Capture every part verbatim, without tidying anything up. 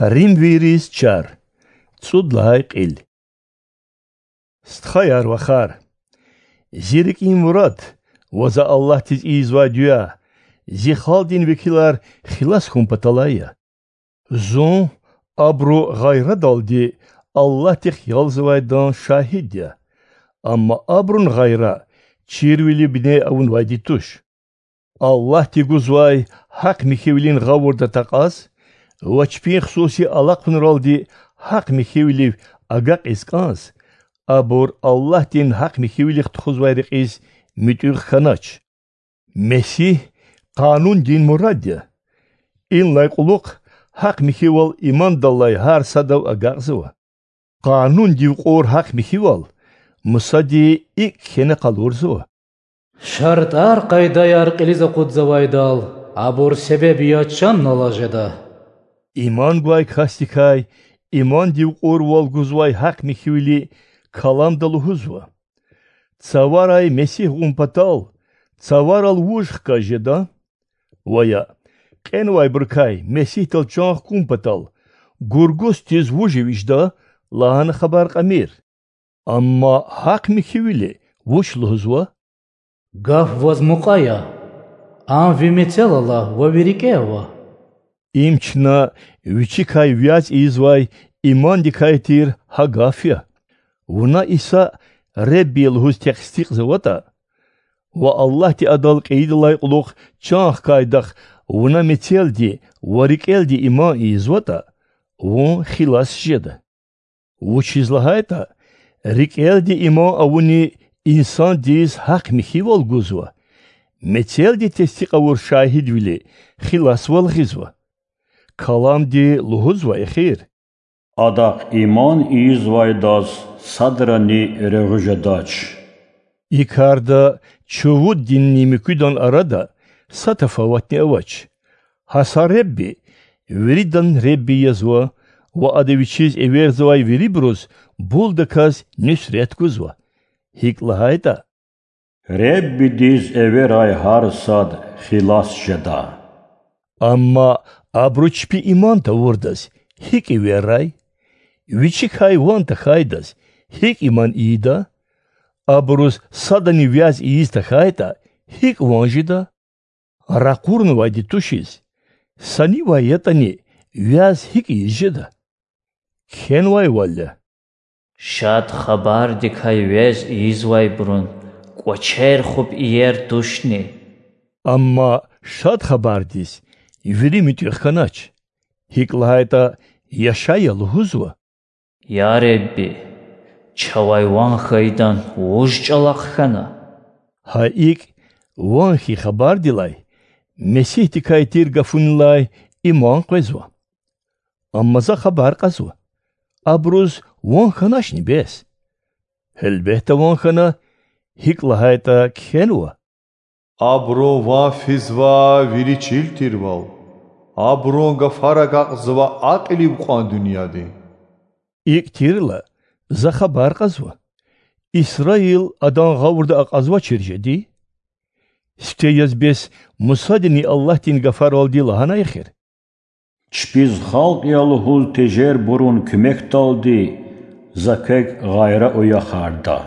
Римвийриз чар. ЦӀуд лагьай кьил. Стхаяр-вахар, зи рикӀин мурад ва за Аллагьдиз ийизвай дуьа зи халкьдин векилар хилас хьун паталай я. Зун абуру гъайрадалди Аллагьдихъ ялзавайдан шагьид я, амма абурун гъайра чирвиле бине авунвайди туш. Аллагьди гузвай гьахъ-михьивилин гъавурда такьаз ва чпин хсуси алахъунралди гьахъ-михьивилив агакьиз кӀанз, абур Аллагьдин гьахъ-михьивилихъ тухузвай рекьиз муьтӀуьгъ хьанач. Месигь Къанундин мурад я. Инлай кьулухъ гьахъ-михьивал имандал алай гьар садав агакьзава. Къанундив кьур гьахъ-михьивал Мусади икӀ кхьена къалурзава: ШартӀар, къайдаяр кьилиз акъудзавайдал, абур себеб яз чан алаз жеда. Иман гвай касдикай имандив кьурвал гузвай гьахъ-михьивили Каламда лугьузва: Цаварай Месигь гъун патал цаварал вуж хкаж жеда? Ва я кьенвайбурукай Месигьдал чан хкун патал гургустиз вуж эвичӀда? Лагьана хабар кьамир. Амма гьахъ-михьивили вуч лугьузва? Гаф ваз мукьва я, ам ви мецел ала ва ви рикӀе ава. Им чна вичикай вяз ийизвай имандикай тир гьа гаф я: вуна Иса Ребби я лугьуз тестикьзаватӀа ва Аллагьди Адал кьейидалай кьулухъ чан хкайдахъ вуна мецелди ва рикӀелди иман ийизватӀа, вун хилас жеда. Вучиз лагьайтӀа рикӀелди иман авуни инсандиз гьахъ-михьивал гузва, мецелди тестикь авур шагьидвили хиласвал гъизва. Каламди лугьузва эхир: Адахъ иман ийизвайдаз садрани регъуь жедач. И карда чувуддинни муькуьдан арада са тафаватни авач. Гьа са Ребби виридан Ребби язва ва Ада Вичиз эверзавай вирибуруз булдаказ нуьсрет гузва, гьикӀ лагьайтӀа: Реббидиз эверай гьар сад хилас жеда. Амма абуру чпи иман тавурдаз гьикӀ эверрай? Вичикай ван тахьайдаз гьикӀ иман ийида? Абуруз садани вяз ийиз тахьайтӀа, гьикӀ ван жеда? Ракъурнавайди тушиз, санивай ятӀани вяз гьикӀ ийиз жеда? Кхьенвайвал я: Шад Хабардикай вяз ийизвайбурун кӀвачер хупӀ иер тушни? Амма Шад Хабардиз вири муьтӀуьгъ хьанач, гьикӀ лагьайтӀа Яшая лугьузва: Я Ребби, чавай ван хьайидан вуж чӀалахъ хьана? Гьа икӀ, ван хьи хабардилай, Месигьдикай тир гафунилай иман къвезва. Амма за хабар кьазва: абуруз ван хьаначни бес? Гьелбетда, ван хьана, гьикӀ лагьайтӀа кхьенва: Абурун ван физва вири чил тирвал, абурун гафар агакьзава акьулив кьван дуьньядин. ИкӀ тирла, за хабар кьазва: Исраил адан гъавурда акьазвачир жеди? Сифте яз бес Мусадини Аллагьдин гафаралди лагьанай эхир: Чпиз халкь я лугьуз тежербурун куьмекдалди За квек гъайра уяхарда,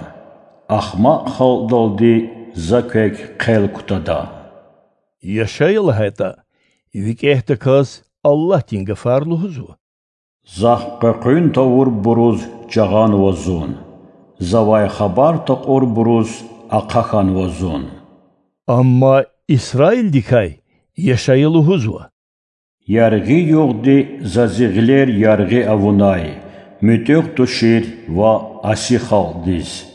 ахмакь халкьдалди За квек хъел кутада. Яшая лагьайтӀа, викӀегьдаказ Аллагьдин гафар лугьузва: Захъ къекъуьн тавурбуруз жагъанва Зун, Завай хабар такьурбуруз ахъа хьанва Зун. Амма Исраилдикай Яшая лугьузва: Яргъи югъди За Зи гъилер яргъи авунай, муьтӀуьгъ тушир ва аси халкьдиз.